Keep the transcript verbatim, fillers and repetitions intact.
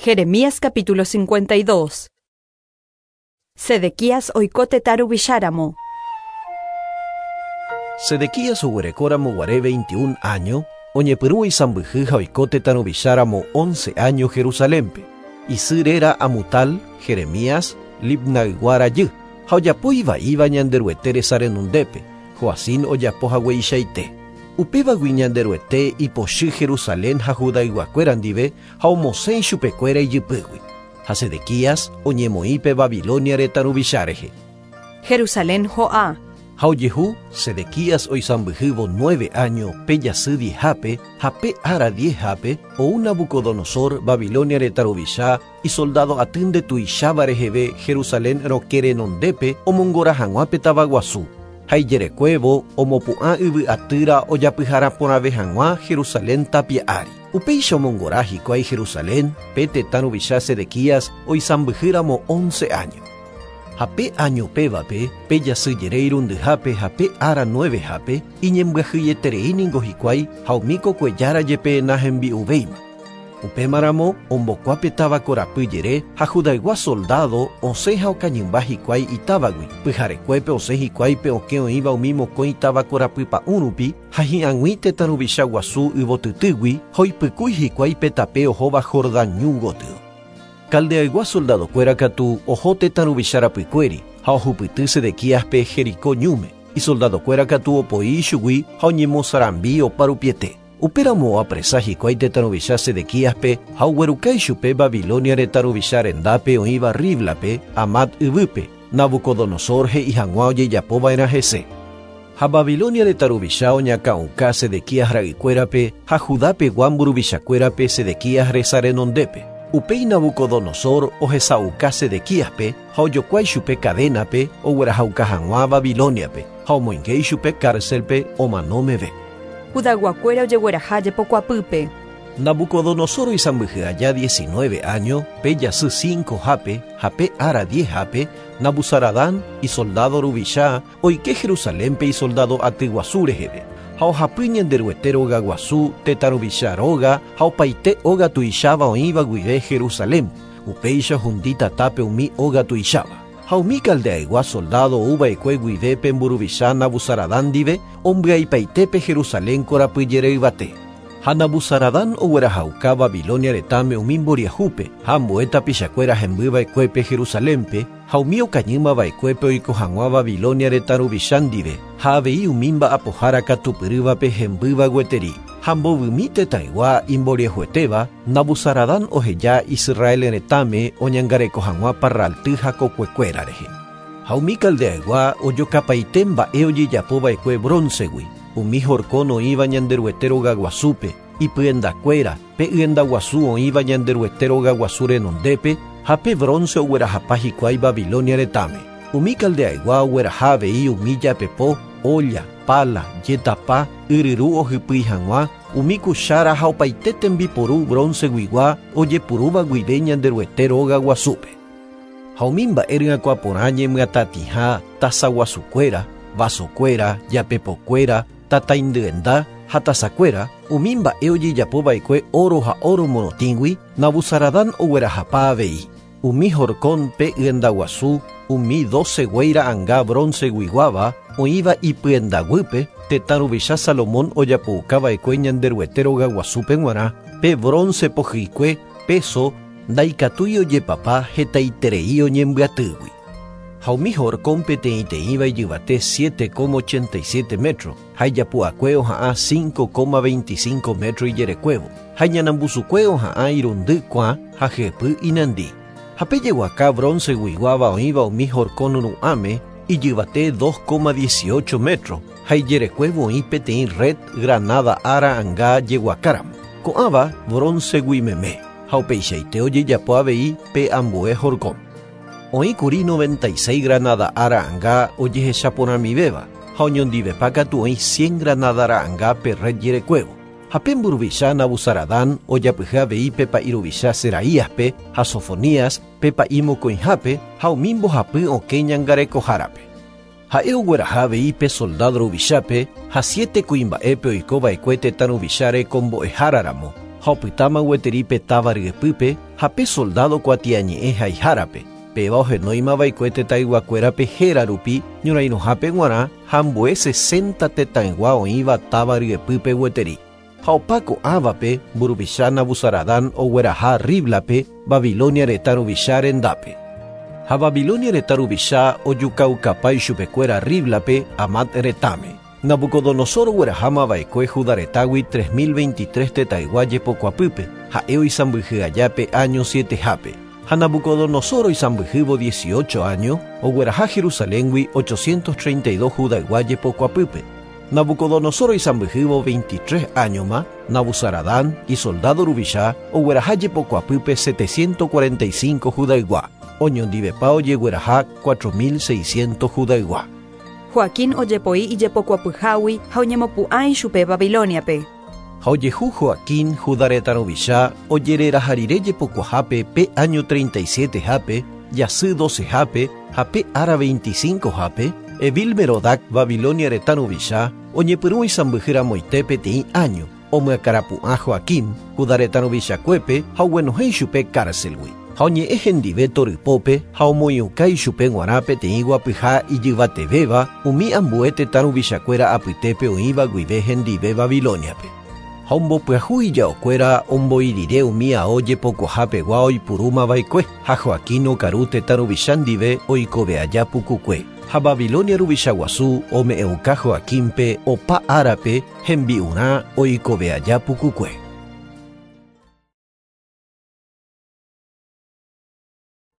Jeremías capítulo cincuenta y dos. Sedequías oiko tetã ruvicháramo. Sedequías oguerekóramo guare veintiún año, oñepyrũ isãmbyhy ha oiko tetã ruvicháramo once año Jerusalénpe. Isy réra Amutal, Jeremías, Libnaygua rajy, ha ojapo ivaíva Ñanderuete resa renondépe, Joacim ojapo hagueichaite. Upévagui Ñanderuete ipochy Jerusalén ha Judayguakuéra ndive ha omosẽ ichupekuéra ijypýgui. Ha Sedequías oñemoĩpe Babilonia retã ruvicha rehe. Jerusalén ho'a. Ha ojehu Sedequías oisãmbyhývo nueve año pe jasy diezhápe ha pe ára diezhápe ou Nabucodonosor Babilonia retã ruvicha isoldado aty ndetuicháva reheve Jerusalén rokẽ renondépe omongora hag̃ua pe tavaguasu. Ha ijerekuévo omopu'ã yvy atýra ojapyhara porãve hag̃ua Jerusalén tapia ári. Upéicha omongora hikuái Jerusalén pe tetã ruvicha Sedequías oisãmbyhýramo once año. Ha pe año pévape, pe jasy jere irundyhápe ha pe ára nuevehápe, iñembyahýieterei ningo hikuái ha umi kokuejára jepe nahembi'uvéima. Upémaramo ombokuápe táva korapy jere ha Judaygua soldado osẽ ha okañymba hikuái itávagui. Pyharekuépe osẽ hikuái pe okẽ oĩva umi mokõi táva korapy pa'ũ rupi ha hi'ag̃ui tetã ruvicha guasu yvotytýgui ha oipykúi hikuái pe tape ohóva Jordán ñu gotyo. Caldeaygua soldadokuéra katu oho tetã ruvicha rapykuéri ha ohupyty Sedequíaspe Jericó ñúme. Isoldadokuéra katu opoi ichugui ha oñemosarambi oparupiete. Upéramo oapresa hikuái tetã ruvicha Sedequíaspe ha ogueruka ichupe Babilonia retã ruvicha rendápe oĩva Riblape, Amat yvýpe, Nabucodonosor he'i hag̃ua ojejapova'erã hese. Ha Babilonia retã ruvicha oñakã'uka Sedequías ra'ykuérape ha Judapegua mburuvichakuérape Sedequías resa renondépe. Upéi Nabucodonosor ohesa'uka Sedequíaspe ha ojokuái chupe cadénape oguerahauka hag̃ua Babiloniape ha omoinge ichupe cárcelpe omano meve. Judayguakuéra ojegueraha jepokuapýpe. Nabucodonosor oisãmbyhy aja diecinueve año, pe jasy cincohápe ha pe ára diezhápe, Nabuzaradán isoldado ruvicha oike Jerusalénpe isoldado aty guasu reheve. Ha ohapy Ñanderuete róga guasu, tetã ruvicha róga ha opaite óga tuicháva oĩva guive Jerusalén. Upéicha hundi tatápe umi óga tuicháva. Ha umi Caldeaygua soldado ouva'ekue guive pe mburuvicha Nabuzaradán ndive ombyaipaitépe Jerusalén korapy jere yvate. Ha Nabuzaradán oguerahauka Babilonia retãme umi mboriahúpe ha ambue tapichakuéra hembyva'ekuépe Jerusalénpe ha umi okañýmava'ekuépe oiko hag̃ua Babilonia retã ruvicha ndive ha avei umi mba'apohára katupyrývape hembýva gueteri. Ha mbovymi tetãygua imboriahuetéva Nabuzaradán oheja Israel retãme oñangareko hag̃ua parralty ha kokuekuéra rehe. Ha umi Caldeaygua ojokapaite mba'e ojejapova'ekue bróncegui, umi horkon oĩva Ñanderuete róga guasúpe, ipyendakuéra, pe yenda guasu oĩva Ñanderuete róga guasu renondépe ha pe bronce oguerahapa hikuái Babilonia retãme. Umi Caldeaygua ogueraha avei umi japepo, olla, pala, jetapa, yryru ohypýi hag̃ua, umi kuchára ha opaite tembiporu bronceguigua ojepurúva guive Ñanderuete róga guasúpe. Ha umi mba'e ryakuã ñemyatatĩha tasaguasukuéra, vasokuéra, japepokuéra, tataindyenda ha tasakuéra, umi mba'e ojejapova'ekue oro ha oro morotĩgui, Nabuzaradán oguerahapa avei. Umi horkon pe yenda guasu, umi doce guéi ra'ãnga bronceguiguáva oĩva ipyendaguýpe, tetã ruvicha Salomón ojapoukava'ekue Ñanderuete róga guasúpe g̃uarã, pe bronce pohyikue peso ndaikatúi ojepapa hetaiterei oñembyatýgui. Ha umi horkon peteĩteĩva ijyvate siete coma ochenta y siete metro, ha ijapu'akue oha'ã cinco coma veinticinco metro ijerekuévo, ha iñanambusukue oha'ã irundy kuã ha hyepy inandi. Ha pe jeguaka bronceguiguáva oĩva umi horkon ru'ãme ijyvate dos coma dieciocho metro, ha ijerekuévo oĩ peteĩ red granada ára anga jeguakáramo. Ko'ãva broncegui meme, ha upeichaite ojejapo avei pe ambue horkon. Oĩkuri noventa y seis granada ára anga ojehechaporãmivéva, ha oñondivepa katu oĩ cien granada ra'ãnga pe red jerekuévo. Ha pe mburuvicha Nabuzaradán ojapyhy avei pe pa'i ruvicha Seraíaspe ha Sofonías pe pa'i mokõihápe ha umi mbohapy okẽ ñangarekohárape. Ha'e ogueraha avei pe soldado ruvichápe ha siete kuimba'épe oikova'ekue tetã ruvicháre kombo'eháraramo Ha opytáma gueteri pe táva ryepýpe ha pe soldado kuatiañe'ẽ haihárape. Péva ohenóimava'ekue tetãyguakuérape héra rupi ñorairõhápe g̃uarã ha ambue sesenta tetãygua oĩva táva ryepýpe gueteri. Ha opa ko'ãvape mburuvicha Nabuzaradán ogueraha Riblape Babilonia retã ruvicha rendápe. Ha Babilonia retã ruvicha ojukaukapa ichupekuéra Riblape Amat retãme. Nabucodonosor oguerahámava'ekue Judá retãgui tres mil veintitrés tetãygua jepokuapýpe, ha'e oisãmbyhy aja pe año sietehápe. Ha Nabucodonosor oisãmbyhývo dieciocho año, ogueraha Jerusaléngui ochocientos treinta y dos Judaygua jepokuapýpe. Nabucodonosor oisãmbyhývo veintitrés añoma, Nabuzaradán isoldado ruvicha ogueraha jepokuapýpe setecientos cuarenta y cinco Judaygua. Oñondivepa ojegueraha cuatro mil seiscientos Judaygua. Joaquín ojepoi ijepokuapyhágui ha oñemopu'ã ichupe Babiloniape. Ha ojehu Joaquín Judá retã ruvicha ojereraha rire jepokuahápe pe año treinta y siete-hápe, jasy doce-hápe ha pe ára veinticinco-hápe, Evil Merodac Babilonia retã ruvicha oñepyrũ isãmbyhyramoite peteĩ año, omyakarapu'ã Joaquín Judá retã ruvichakuépe ha oguenohẽ ichupe cárcelgui. Ha oñe'ẽ hendive torypópe ha omoĩuka ichupe g̃uarã peteĩ guapyha ijyvatevéva umi ambue tetã ruvichakuéra apytépe oĩva guive hendive Babiloniape. Ha ombopyahu ijaokuéra omboi rire umi ao jepokuahapegua oipurúmava'ekue ha Joaquín okaru tetã ruvicha ndive oikove aja pukukue. Ha Babilonia ruvicha guasu ome'ẽuka Joaquínpe opa árape hembi'urã oikove aja pukukue.